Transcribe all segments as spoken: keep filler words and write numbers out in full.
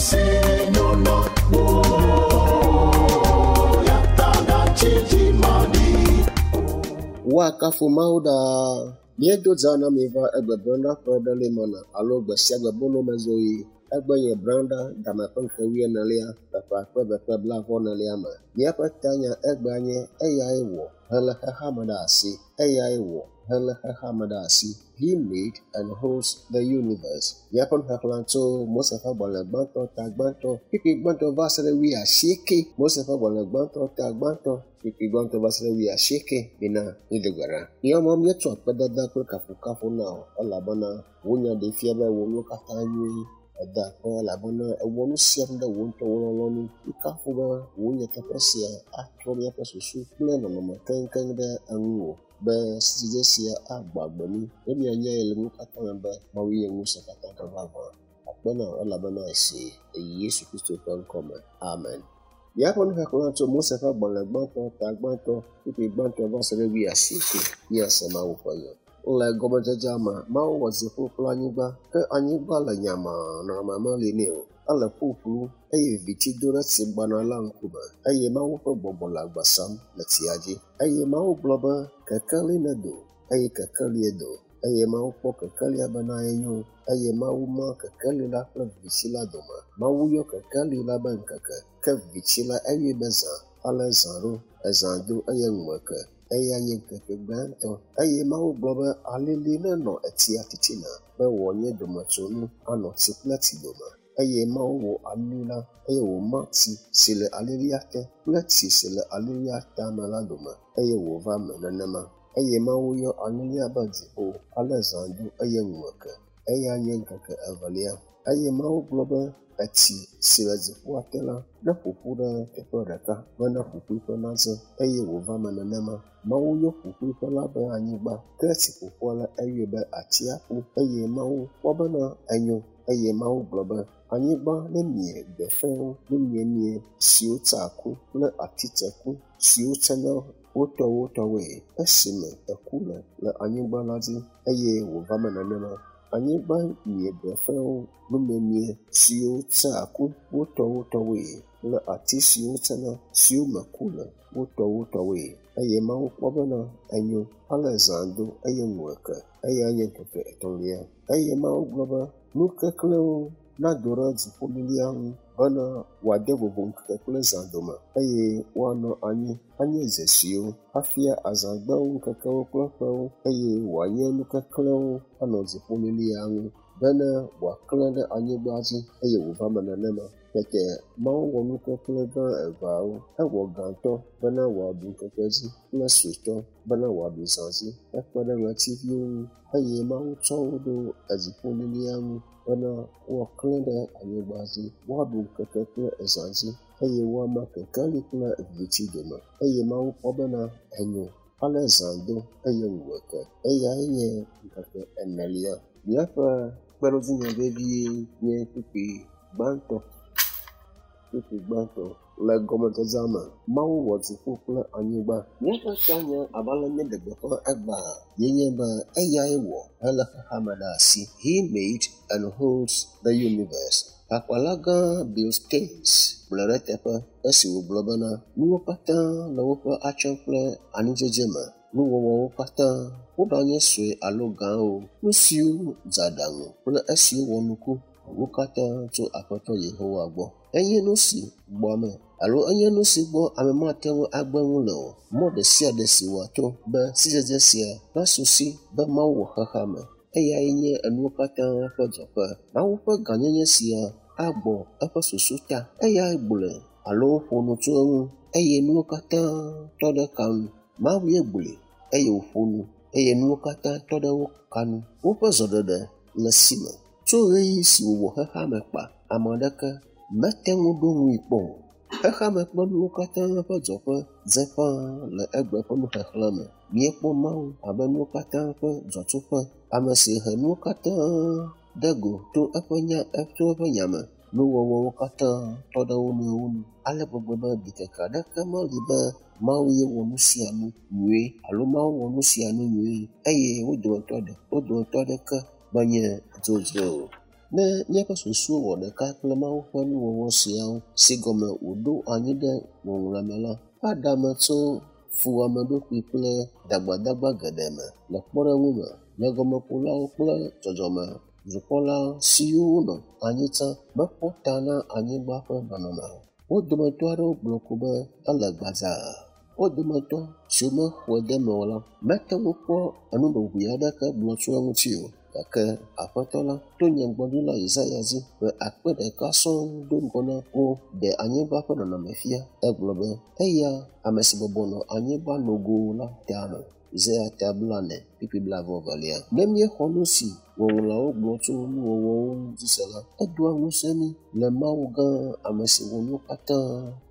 si nyona wo ya ta gatsi dzimaɖi. Woakafu Mawu ɖaa. Míedo dza na mi va egbe branda ƒe ɖe mana alo gbe sia gbe bolomezoɣi. Egbe nye branda dame ƒe ŋkeke wuienelia le ƒe akpe eve kple blaeve-vɔ-enelia me. Míaƒe tanya egbea nye eyae wɔ hele xexeame ɖe asi. Eyae wɔ hele xexeame ɖe asi. He made and holds the universe. Míaƒe nuxexlẽ tso Mose ƒe agbalẽ gbãtɔ ta gbãtɔ kpukpui gbãtɔ va se ɖe wuiasieke. Mose ƒe agbalẽ gbãtɔ ta gbãtɔ kpukpui gbãtɔ va se ɖe wuiasieke. Mina mído gbe ɖa. Míawo Mawu míetsɔ akpedada kple kafukafu na wò elabena wò nya ɖee fia be wò nuwo katã nyui. Eda akpe elabena ewɔ nu sia nu ɖe wò ŋutɔ wò lɔlɔ̃nu. Míekafu be wò nyateƒe sia atrɔ míaƒe susu kple nɔnɔme keŋkeŋ ɖe eŋuwò be sidzedze sia agbɔ agbe mí be míanyae le nuwo katã me be Mawu nye ŋusẽ katã ƒe vavã. Akpe na wò elabena èsee le Yesu Kristo ƒe ŋkɔ me. Amen. Míaƒe nuxexlẽ tso Mose ƒe agbalẽ gbãtɔ ta gbãtɔ kpukpui gbãtɔ va se ɖe wuiasieke míase Mawu ƒe nya. Le gɔmedzedzea me, Mawu wɔ dziƒo kple anyigba, ke anyigba le nyamaa, nɔnɔme meli nɛ o. Ele ƒuƒlu eye viviti do ɖe tsi gbana la ŋkume eye Mawu ƒe gbɔgbɔ le agba sam le tsia dzi. Eye Mawu gblɔ be kekeli nedo eye kekelie do. Eye Mawu kpɔ kekelia bena enyo eye Mawu ma kekeli la kple viviti la dome. Mawu yɔ kekeli la be ŋkeke, ke viviti la eyɔe be zã. Ale zã ɖo, ezã do eye ŋu ke. Eya nye ŋkeke gbãtɔ. Eye Mawu gblɔ be alili nenɔ etsia titina be wòanye dometsonu anɔ tsi kple tsi dome. Eye Mawu wɔ alili la eye wòma tsi si le alilia te kple tsi si le alilia tame la dome eye wòva me nenema. Eye Mawu yɔ alilia be dziƒo. Ale zã do eye ŋu ke. Eya nye ŋkeke evelia. Eye Mawu gblɔ be etsi si le dziƒoa te la neƒo ƒu ɖe teƒe ɖeka bena ƒuƒuiƒe nadze eye wòva me nenema. Mawu yɔ ƒuƒuiƒe la be anyigba, ke tsi ƒoƒua la eyɔe be atsiaƒu eye Mawu kpɔ bena enyo. Eye Mawu gblɔ be anyigba nemie gbe fẽwo, numiemie siwo tsea ku kple ati tseku siwo tsena wotɔwotɔwoe esime eku le le anyigba la dzi eye wòva me nenema. Anyigba mie gbe fẽwo, numiemie siwo tsea ku wotɔwotɔwoe kple ati siwo tsena siwo me ku le wotɔwotɔwoe. Eye Mawu kpɔ bena enyo. Ale zã do eye ŋu ke. Eya nye ŋkeke etɔ̃lia. Eye Mawu gblɔ be nu keklẽwo nado ɖe dziƒolilia ŋu bena wòade vovo ŋkeke kple zã dome eye woanɔ anyi anye dzesiwo afia azãgbewo, ŋkekewo kple ƒewo eye wòanye nu keklẽwo anɔ dziƒolilia ŋu bena wòaklẽ ɖe anyigba dzi eye wòva me nenema. Tete Mawu wɔ nu keklẽ gã eveawo. Ewɔ gãtɔ bena wòaɖu ŋkeke dzi kple suetɔ bena wòaɖu zã dzi hekpe ɖe ɣletiviwo ŋu eye Mawu tsɔ wo ɖo edziƒolilia ŋu bena woaklẽ ɖe anyigba dzi, woaɖu ŋkeke kple zã dzi eye woama kekeli kple viviti dome. Eye Mawu kpɔ bena enyo. Ale zã do eye ŋu ke. Eyae nye ŋkeke enelia. Míaƒe kpeɖodzinya vevie nye kpukpui gbãtɔ. Kpukpui gbãtɔ. Le gɔmedzedzea me, Mawu wɔ dziƒo kple anyigba. Míaƒe tanya abe ale míeɖe gbeƒã egbea ye nye be eyae wɔ hele xexeame ɖe asi. He made and holds the universe. Hakpala gã Bill Staines gblɔe ɖe eteƒe esi wògblɔ bena nuwo katã le woƒe atsyɔ̃ kple anidzedze me. Nuwɔwɔwo katã, woɖanye sue alo gãwo, nu siwo dze aɖaŋu kple esiwo wɔ nuku, wo katã tso Aƒetɔ Yehowa gbɔ. Enye nu si gbɔ ame alo enye nu si gbɔ ame mate ŋu agbe nu le o. Mɔ ɖe sia ɖe si wòato be sidzedze sia nasu si be Mawu wɔ xexeame. Eyae nye enuwo katã ƒe dzɔƒe. Mawu ƒe gãnyenye sia agbɔ eƒe susu ta. Eyae gblɔe alo ƒo nu tso eŋu eye nuwo katã tɔ ɖe ka nu. Mawu ye gblɔe eye wòƒo nu eye nuwo katã tɔ ɖe wo ka nu. Woƒe zɔɖeɖe le si me. Tso ɣeyiɣi si wòwɔ xexeame kpa, ame aɖeke mete ŋu ɖo ŋui kpɔ o. Xexeame kple nuwo katã ƒe dzɔƒe dze ƒãa le egbe ƒe nuxexlẽ me. Míekpɔ Mawu abe nuwo katã ƒe dzɔtsoƒe, ame si he nuwo katã ɖe go to eƒe nya to eƒe nya me. Nuwɔwɔwo katã tɔ ɖe wo nɔewo nu ale gbegbe be ɖikeke aɖeke meli be Mawu ye wɔ nu sia nu nyuie alo Mawu wɔ nu sia nu nyuie eye wo dometɔ ɖe wo dometɔ aɖeke menye dzodzro o. Ne míaƒe susuwo wɔ ɖeka kple Mawu ƒe nuwɔwɔ siawo si gɔme wòɖo anyi ɖe ŋɔŋlɔa me la, aɖe ame tso fuwɔameɖokui kple dagbadagba geɖe me. Le kpɔɖeŋu me, nyagɔmekulawo kple dzɔdzɔme dukɔla siwo nɔ anyi tsã mekpɔ ta na anyigba ƒe nɔnɔme o. Wo dometɔ aɖewo gblɔ ko be ele gbadzaa. Wo dometɔ siwo mexɔe de eme o la mete ŋu kpɔ enuɖoŋui aɖeke gblɔ tso eŋuti o. Gake Aƒetɔ la to nyagblɔɖila Yesaya dzi ƒe akpe ɖeka sɔŋ do ŋgɔ na wo ɖe anyigba ƒe nɔnɔme fia. Egblɔ be eya ame si bɔbɔ nɔ anyigba nogo la tame. Yesaya ta blaene kpukpui blaeve evelia. Ne míexɔ nu si ŋɔŋlɔawo gblɔ tso nuwɔwɔwo ŋu dzi se la, edoa ŋusẽ mí le Mawu gã ame si wɔ nuwo katã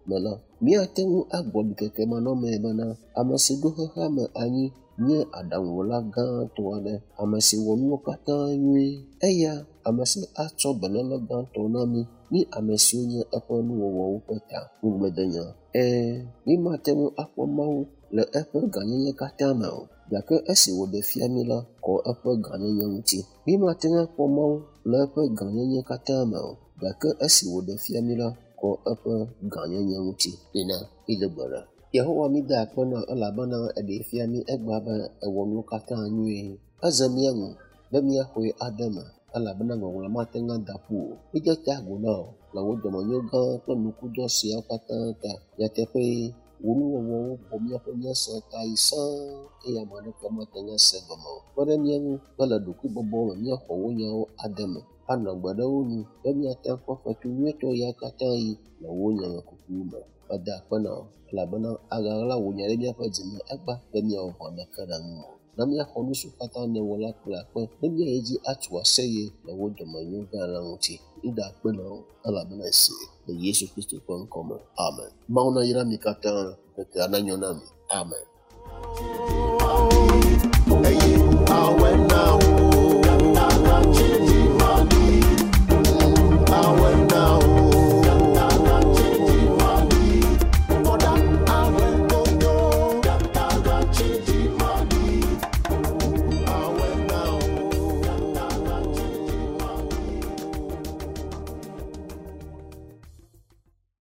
me la. Míate ŋu agblɔ ɖikeke manɔmee bena ame si ɖo xexea me anyi nye aɖaŋuwɔla gãtɔ aɖe, ame si wɔ nuwo katã nyuie. Eya ame si atsɔ beléle gãtɔ na mí, mí ame siwo nye eƒe nuwɔwɔwo ƒe ta. Ŋugbledenya. Ɛ̃, mímate ŋu akpɔ Mawu le eƒe gãnyenye katã me o, gake esi wòɖe fia mí la, kɔ eƒe gãnyenye ŋuti. Mímate ŋu akpɔ Mawu le eƒe gãnyenye katã me o, gake esi wòɖe fia mí la, kɔ eƒe gãnyenye ŋuti. Mina mído gbe ɖa. Yehowa mída akpe na wò elabena eɖee fia mí egbea be èwɔ nuwo katã nyuie. Eze mía ŋu be míaxɔe ade eme elabena ŋɔŋlɔ mate ŋu ada ƒu o. Míde ta agu na wò le wò dɔmenyo gã kple nukudɔ siawo katã ta. Nyateƒee, wò nuwɔwɔwo xɔ míaƒe nyese ta yi sãa eye ame aɖeke mate ŋu ase egɔme o. Kpe ɖe mía ŋu be le ɖokuibɔbɔ me míaxɔ wò nyawo ade eme, anɔ agbe ɖe wo nu be míate ŋu akpɔ fetu nyuietɔ ya katã ɣi le wò nyamekuku me. Meda akpe na wò elabena aɣaɣla wò nya ɖe míaƒe dzi me egbea be míawɔ vɔ̃ aɖeke ɖe ŋuwò o. Na míaxɔ nu siwo katã nèwɔ la kple akpe ne míayi edzi atu aseye le wò dɔmenyo gã la ŋuti. Mída akpe na wò elabena èsee le Yesu Kristo ƒe ŋkɔ me. Amen. Mawu nayra mi katã, ŋkekea nanyo na mi. Amen.